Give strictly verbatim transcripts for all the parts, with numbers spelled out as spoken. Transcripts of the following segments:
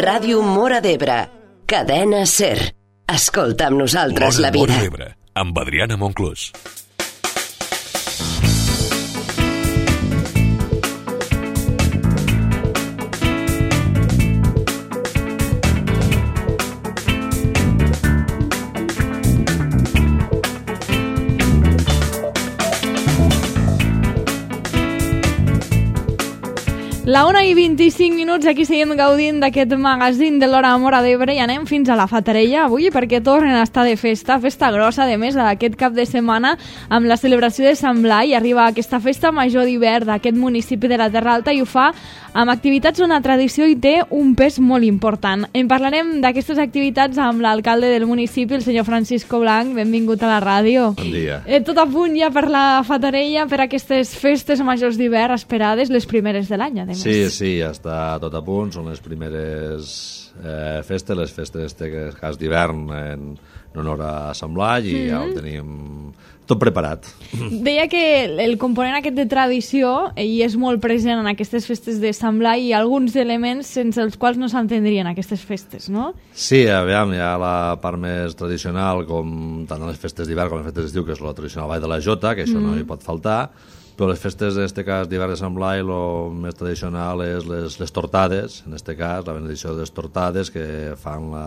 Ràdio Móra d'Ebre. Cadena SER. Escolta amb nosaltres la vida. Móra d'Ebre, amb Adriana Monclús. La una i vint-i-cinc minuts, aquí seguim gaudint d'aquest magazín de l'Hora Móra d'Ebre i anem fins a la Fatarella avui perquè tornen a estar de festa, festa grossa, de més, d'aquest cap de setmana amb la celebració de Sant Blai. Arriba aquesta festa major d'hivern d'aquest municipi de la Terra Alta i ho fa amb activitats on la tradició hi té un pes molt important. En parlarem d'aquestes activitats amb l'alcalde del municipi, el senyor Francisco Blanc. Benvingut a la ràdio. Bon dia. Eh, tot a punt ja per la Fatarella, per aquestes festes majors d'hivern esperades, les primeres de l'any, a més. Sí, sí, ja està tot a punt, són les primeres eh, festes, les festes de cas d'hivern en, en honor a Sant Blai i mm-hmm. ja ho tenim tot preparat. Deia que el component aquest de tradició i és molt present en aquestes festes de Sant Blai i alguns elements sense els quals no s'entendrien aquestes festes, no? Sí, aviam, hi ha la part més tradicional, com tant en les festes d'hivern com en les festes d'estiu, que és la tradicional Ball de la Jota, que això mm. no hi pot faltar, però les festes, en aquest cas, d'hivern de Sant Blai, el més tradicional és les, les tortades, en aquest cas, la benedicció de les tortades que fan la,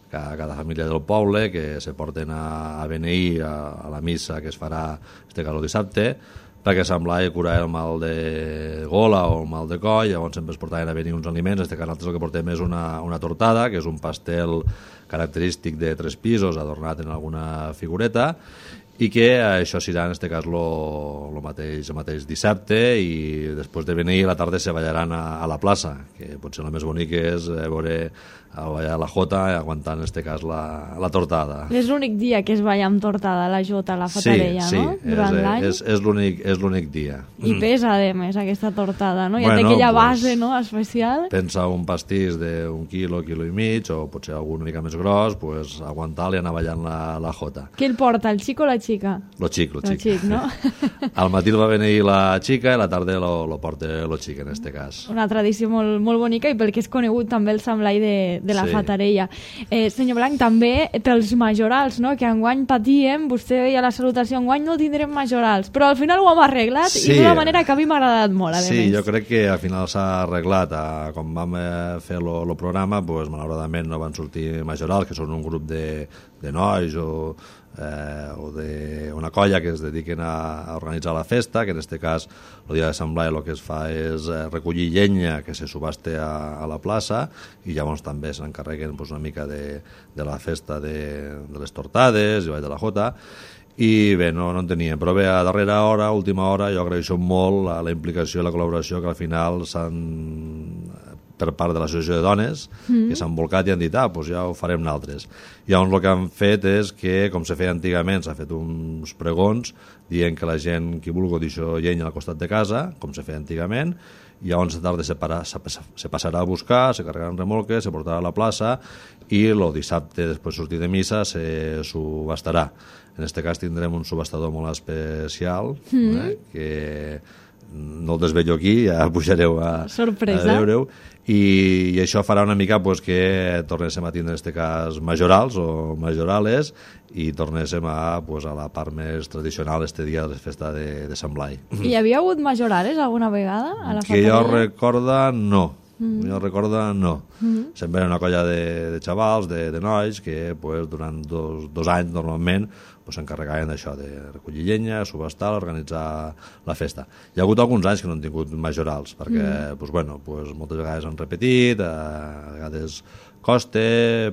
cada, cada família del poble, que se porten a, a beneir a, a la missa que es farà, en aquest cas, el dissabte, perquè Sant Blai cura el mal de gola o el mal de coll, llavors sempre es portaven a venir uns aliments, en aquest cas nosaltres el que portem és una, una tortada, que és un pastel característic de tres pisos, adornat en alguna figureta, i que això serà en aquest cas el mateix, mateix dissabte i després de venir a la tarda se ballaran a, a la plaça, que potser el més bonic és veure a ballar la Jota aguantant en aquest cas la, la tortada. És l'únic dia que es balla amb tortada la Jota a la Fatarella, sí, no? Sí, durant és, l'any. és, és l'únic és l'únic dia. I pesa, a més, aquesta tortada, no? Ja bueno, té aquella pues, base, no?, especial. Pensa un pastís d'un quilo, quilo i mig, o potser algun una mica més gros, pues, aguantar-li i anar ballant la, la Jota. Qui el porta, el xic o la xica? Lo xic, lo xic. Lo xic, no? Al matí el va venir la xica i a la tarda lo, lo porta lo xic, en aquest cas. Una tradició molt, molt bonica i pel que és conegut també el Sant Blai de, de la sí. Fatarella. Eh, senyor Blanc, també pels majorals, no?, que enguany patíem, vostè deia la salutació, enguany no tindrem majorals, però al final ho hem arreglat sí. i d'una manera que a mi m'ha agradat molt, a sí, més. Sí, jo crec que al final s'ha arreglat. A, com vam eh, fer el programa, pues, malauradament no van sortir majorals, que són un grup de, de nois o Eh, o d'una colla que es dediquen a, a organitzar la festa, que en aquest cas el dia de Sant Blai el que es fa és eh, recollir llenya que se subaste a, a la plaça i llavors també s'encarreguen pues, una mica de, de la festa de, de les tortades i Ball de la Jota i bé, no, no en teníem, però bé, a darrera hora, a última hora, jo agraeixo molt la, la implicació i la col·laboració que al final s'han per part de l'associació de dones, mm. que s'han volcat i han dit, ah, doncs ja ho farem nosaltres. I llavors el que han fet és que, com se feia antigament, s'ha fet uns pregons dient que la gent, qui vulgui, deixa llenya al costat de casa, com se feia antigament, i llavors a tarda se, para, se, se passarà a buscar, se carregaran remolques, se portarà a la plaça i el dissabte, després de sortir de missa, se subhastarà. En aquest cas tindrem un subhastador molt especial, mm. eh, que no el desvello aquí, ja pujareu a, a veure-ho, i, i això farà una mica pues, que tornéssim a tindre en aquest cas majorals o majorales i tornéssim a, pues, a la part més tradicional este dia de la festa de, de Sant Blai. I hi havia hagut majorales alguna vegada a la que Fatarella? jo recorda, no. Mm. Jo recorda, no. Mm. Sempre era una colla de, de xavals, de, de nois, que pues, durant dos, dos anys normalment s'encarregaven pues, d'això, de recollir llenya, subhastar, organitzar la festa. Hi ha hagut alguns anys que no han tingut majorals, perquè mm. pues, bueno, pues, moltes vegades han repetit, a vegades costa,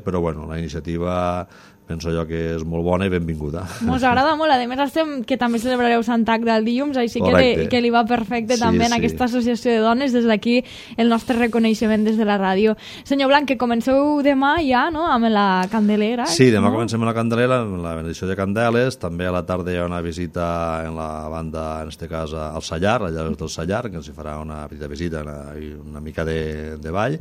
però bueno, la iniciativa penso jo que és molt bona i benvinguda. Mos agrada molt, a més estem que també celebrareu Sant Agda el dilluns, així que li, que li va perfecte sí, també en sí. aquesta associació de dones, des d'aquí el nostre reconeixement des de la ràdio. Senyor Blanc, que comenceu demà ja, no?, amb la Candelera. Sí, demà no? comencem amb la Candelera, amb la benedicció de candeles, també a la tarda hi ha una visita en la banda, en este cas al Sallar, allà del Sallar, que ens hi farà una petita visita i una, una mica de, de ball.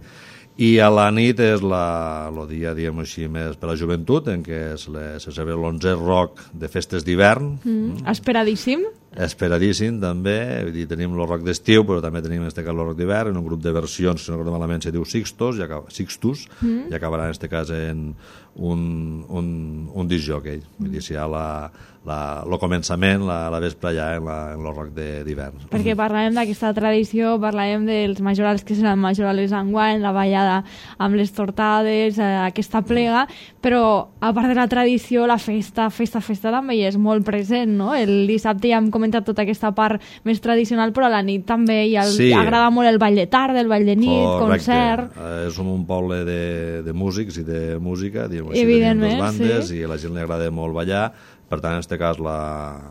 I a la nit és el dia, diguem així, més per a la joventut, en què se, le, se celebra l'onzè rock de festes d'hivern. Mm, esperadíssim. esperadíssim també, vull dir, tenim el rock d'estiu, però també tenim en este cas el rock d'hivern, en un grup de versions, si no recordo malament, se diu Sixtus, i acaba, Sixtus, mm. i acabarà en este cas en un, un, un disc jockey, vull dir, si hi ha la, la, el començament, la, la vespre ja en, la, en el rock d'hivern. Perquè parlàvem d'aquesta tradició, parlàvem dels majorals que seran majorals enguany, la ballada amb les tortades, eh, aquesta plega, però a part de la tradició, la festa, festa, festa també hi és molt present, no? El dissabte ja hem comentat tota aquesta part més tradicional, però a la nit també hi ha el, sí. agrada molt el ball de tarda, el ball de nit, correcte. concert... Eh, som un poble de, de músics i de música, diguem així, evidentment, tenim dues bandes, sí. i a la gent li agrada molt ballar, per tant, en aquest cas, la,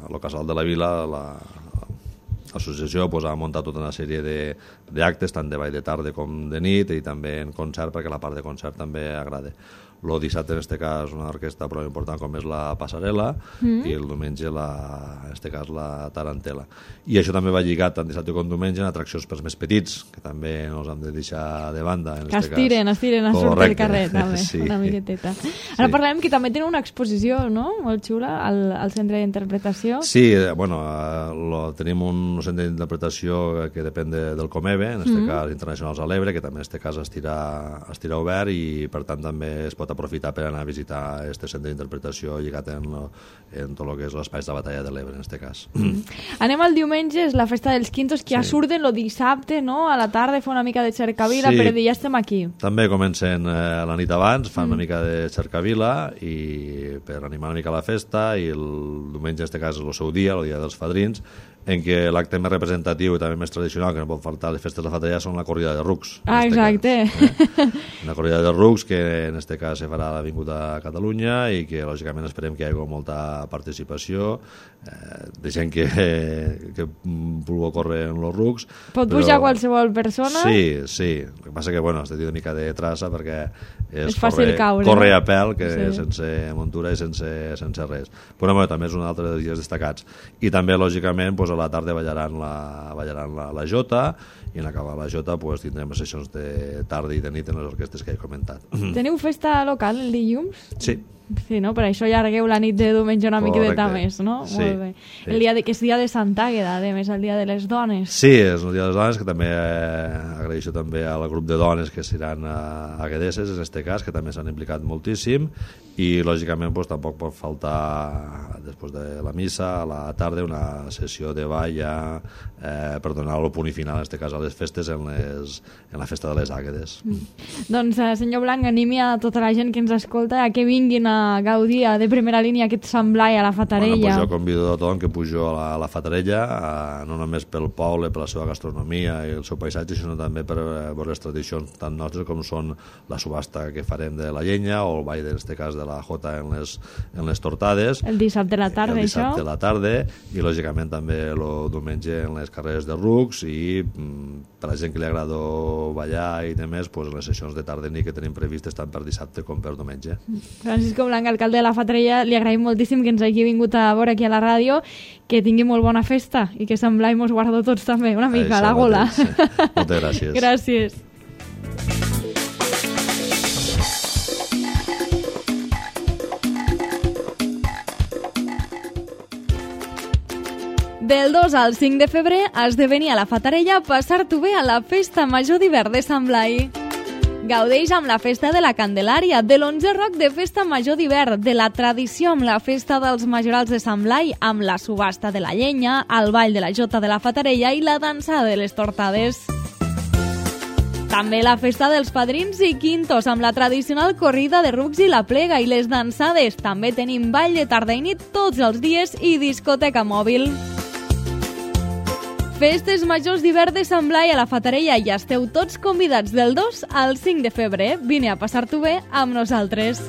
el Casal de la Vila, la, l'associació pues, ha muntat tota una sèrie d'actes, tant de ball de tarda com de nit, i també en concert, perquè la part de concert també agrada. El dissabte, en aquest cas, una orquestra prou important com és la Passarel·la, mm. i el diumenge, la, en aquest cas, la Tarantela. I això també va lligat tant dissabte com diumenge en atraccions pels més petits, que també no els hem de deixar de banda. En que estiren, cas. estiren a sortir del carrer, també, sí. una miqueteta. Ara sí. parlem que també tenen una exposició, no?, molt xula, al, al centre d'interpretació. Sí, bueno, lo, tenim un centre d'interpretació que depèn de, del Comeve, en aquest mm. cas Internacionals a l'Ebre, que també en aquest cas estirà, estirà obert, i per tant també es pot aprofitar per anar a visitar aquest centre d'interpretació lligat en, en tot el que és l'espai de la batalla de l'Ebre, en aquest cas. Mm. Anem al diumenge, és la festa dels Quintos, que sí. ja surten el dissabte, no?, a la tarda, fa una mica de cercavila, sí. per dir, ja estem aquí. També comencen eh, la nit abans, fan mm. una mica de cercavila, i per animar una mica la festa, i el diumenge, en aquest cas, és el seu dia, el dia dels fadrins, en què l'acte més representatiu i també més tradicional, que no pot faltar a les festes de la Fatallà, són la corrida de rucs. Ah, exacte. Cas, eh? Una corrida de rucs que en aquest cas se farà a l'Avinguda a Catalunya, i que lògicament esperem que hi hagi molta participació, eh, de gent que, que vulgui córrer en els rucs. Pot però... pujar qualsevol persona? Sí, sí. El que passa que, bueno, has de tenir una mica de traça perquè és, és fàcil correr, caure. Corre a pèl, que sí. sense muntura i sense, sense res. Però bueno, també és un altre dels dies destacats. I també, lògicament, pues, a la tarda ballaran la, ballaran la, la jota, i en acabar la jota pues, tindrem sessions de tarda i de nit en les orquestes que he comentat. Teniu festa local el dilluns? Sí. Sí, no? Per això allargueu la nit de diumenge una miqueta més, no? Sí, molt bé. Sí. El dia de, que és dia de Santa Àgueda, a més, el dia de les dones. Sí, és el dia de les dones, que també eh, agraeixo també al grup de dones que seran eh, aguedeses, en aquest cas, que també s'han implicat moltíssim, i lògicament pues, tampoc pot faltar, després de la missa, a la tarda, una sessió de ball ja, eh, per donar el punt final, en aquest cas, a les festes, en, les, en la festa de les àguedes. Mm. Doncs, eh, senyor Blanc, animi a tota la gent que ens escolta a que vinguin a gaudir de primera línia aquest Sant Blai a la Fatarella. Bueno, pues jo convido a tothom que pujo a la, a la Fatarella, a, no només pel poble, per la seva gastronomia i el seu paisatge, sinó també per veure les tradicions tan nostres com són la subhasta que farem de la llenya, o el ball, en aquest cas, de la jota en les, en les tortades. El dissabte a la tarda, el dissabte això? a la tarda, i lògicament també el diumenge en les carreres de rucs, i per la gent que li agrada ballar i demés, pues, les sessions de tarda i nit que tenim previstes tant per dissabte com per diumenge. Francisco Blanc, alcalde de la Fatarella, li agraïm moltíssim que ens hagi vingut a veure aquí a la ràdio, que tingui molt bona festa i que Sant Blai mos guardo tots també, una mica, a la gola. Sí. Moltes gràcies. Gràcies. Del dos al cinc de febrer has de venir a la Fatarella a passar-t'ho bé a la Festa Major d'Hivern de Sant Blai. Gaudeix amb la Festa de la Candelària, de l'onze rock de Festa Major d'Hivern, de la tradició amb la Festa dels Majorals de Sant Blai, amb la subhasta de la llenya, el ball de la jota de la Fatarella i la dansada de les tortades. També la Festa dels Padrins i Quintos, amb la tradicional corrida de rucs i la plega i les dansades. També tenim ball de tarda i nit tots els dies i discoteca mòbil. Festes Majors d'Hivern de Sant Blai a la Fatarella, i esteu tots convidats del dos al cinc de febrer. Vine a passar-t'ho bé amb nosaltres.